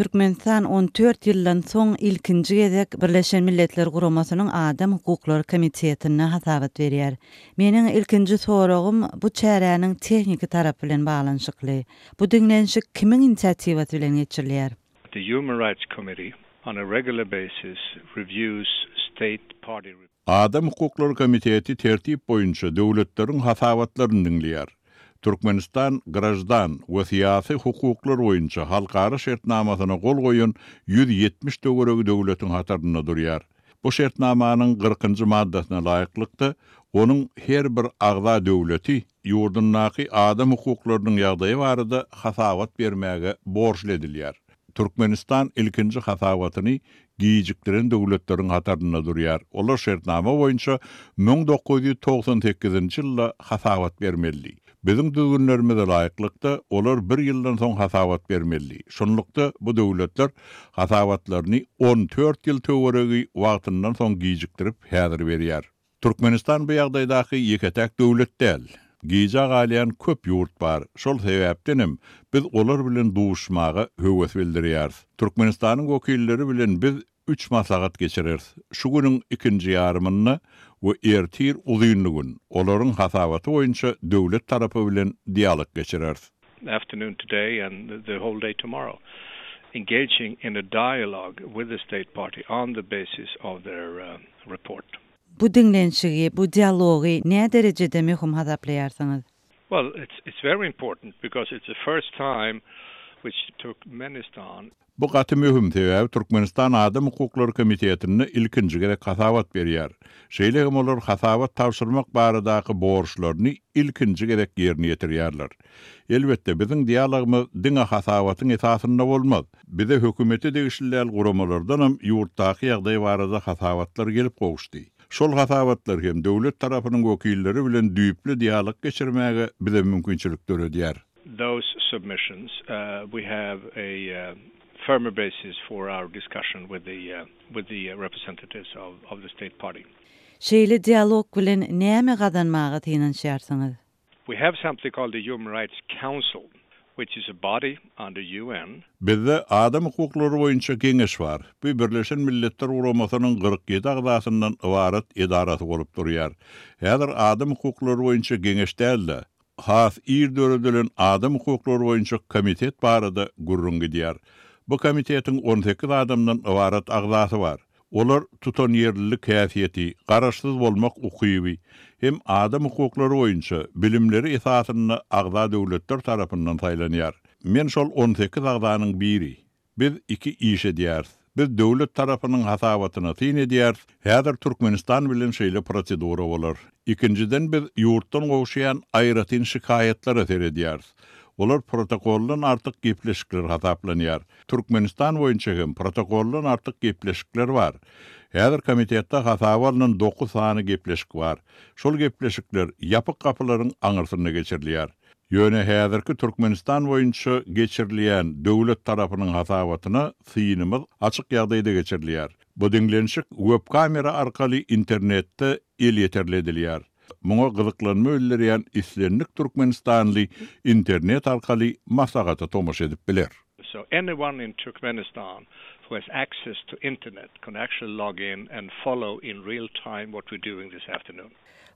Türkmenistan 14 ýyldan soň ilkinji gezek Birleşen Milletler Guramasynyň Adam hukuklary komitetinde hasabat berýär. Meniň ilkinji soragym bu çäräniň tehniki tarapy bilen baglanyşykly. Bu diňlenişik kimiň inisiatiwasy bilen geçirilýär? The Human Rights Committee on a regular basis reviews state party reports. Adam hukuklary komiteti tertip boýunça döwletleriň hasabatlaryny diňleýär. Türkmenistan graždan we syýasy hukuklar boýunça halkara şertnamasyna gol goýan 170 töweregi döwletiň hatarynda durýar. Bu şertnamanyň kyrkynjy maddasyna laýyklykda, onuň her bir agza döwleti ýurdundaky adam hukuklarynyň ýagdaýy barada hasabat bermäge borçly edilýär. Türkmenistan ilkinji hasabatyny gijikdiren döwletleriň hatarynda durýar. Olar şertnama boýunça 1998-nji ýylda hasabat bermelidi. Biziň düzgünlerimize laýyklykda, olar bir ýyldan soň hasabat bermelidi. Şunlukda, bu döwletler hasabatlaryny on dört ýyl töweregi wagtyndan soň gijikdirip, häzir berýär. Türkmenistan bu ýagdaýdaky ýeke-täk döwlet däl. Gijä galýan köp ýurt bar. Şol sebäpdenem biz olar bilen duşuşmaga höwes bildirýäris. Türkmenistanyň wekilleri bilen biz üç maslahat geçireris. Şu günüň ikinji ýarymynda we ertir uzynly gün olaryň hasabaty boýunça döwlet tarapy bilen dialog geçireris. Afternoon today and the whole day tomorrow, engaging in a dialogue with the state party on the basis of their report. Bu diňlenişigi, bu dialogy nä derejede möhüm hasaplaýarsyňyz? Well, it's it's very important because it's the first time which Turkmenistan. Bu gaty möhüm, sebäbi Türkmenistan Adam hukuklary komitetinde ilkinji gezek hasabat berýär. Şeýle hem olar hasabat tabşyrmak baradaky borçlaryny ilkinji gezek ýerine ýetirýärler. Elbetde, biziň dialogymyz diňe hasabatyň esasynda bolmaz. Bize hökümete degişli däl guramalardanam ýurtdaky ýagdaý barada hasabatlar gelip gowuşdy. Şol hasabatlar hem döwlet tarapynyň wekilleri bilen düýpli dialog geçirmäge bize mümkinçilik döredýär. Those submissions, we have a firmer basis for our discussion with the with the representatives of of the state party. Şeýle dialog bilen näme gazanmaga synanyşýarsyňyz? We have something called the Human Rights Council, which is a body under UN. Bizde Adam hukuklary boýunça geňeş bar. Bu Birleşen Milletler Guramasynyň 47 agzasyndan ybarat edarasy bolup durýar. Häzir Adam hukuklary boýunça geňeş däl-de, has ir döredilen Adam hukuklary boýunça komitet barada gürrüň gidýär. Bu komitetiň 18 adamdan ybarat agzasy bar. Olar tutanýerlilik häsiýeti, garaşsyz bolmak ukyby hem adam hukuklary boýunça bilimleri esasynda agza döwletler tarapyndan saýlanýar. Men şol 18 agzanyň biri. Biz iki iş edýäris. Biz döwlet tarapynyň hasabatyna syn edýäris, häzir Türkmenistan bilen şeýle prosedura bolar. Ikinjiden biz ýurtdan gowuşýan aýratyn şikaýatlara seredýäris. Olar protokoldan artyk gepleşikler hasaplanýar. Türkmenistan boýunça hem protokoldan artyk gepleşikler bar. Häzir komitetde hasaba alnan dokuz sany gepleşik bar. Şol gepleşikler ýapyk gapylaryň aňyrsynda geçirilýär. Ýöne häzirki Türkmenistan boýunça geçirilýän döwlet tarapynyň hasabatyna synymyz açyk ýagdaýda geçirilýär. Bu diňlenişik web-kamera arkaly internetde elýeterli edilýär. Muňa gyzyklanma bildirýän islendik türkmenistanly internet arkaly maslahata tomaşa edip biler. So anyone in Turkmenistan who has access to internet can actually log in and follow in real time what we're doing this afternoon.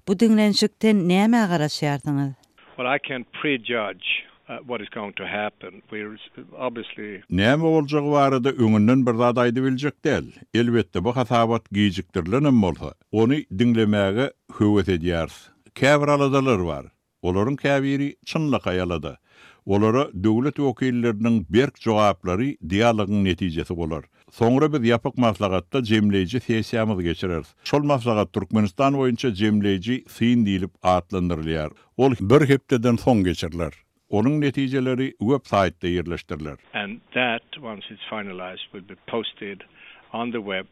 Bu diňlenişikden nämä garaşýarsyňyz? Well, I can't prejudge what is going to happen. We're obviously. Näme boljagy barada öňünden bir zat aýdybiljek däl. Elbetde, bu hasabat gijikdirilenem bolsa, ony diňlemäge höwes edýäris. Käbir aladalar bar. Olaryň käbiri çynlakaý alada. Olara döwlet wekilleriniň berk jogaplary dialogyň netijesi bolar. Soňra biz ýapyk maslahatda jemleýji sessiýamyzy geçireris. Şol maslahat Türkmenistan boýunça jemleýji syn diýlip atlandyrylýar. Ol bir hepdeden soň geçiriler. Onuň netijeleri web saýtda ýerleşdiriler. And that, once it's finalized, will be posted on the web.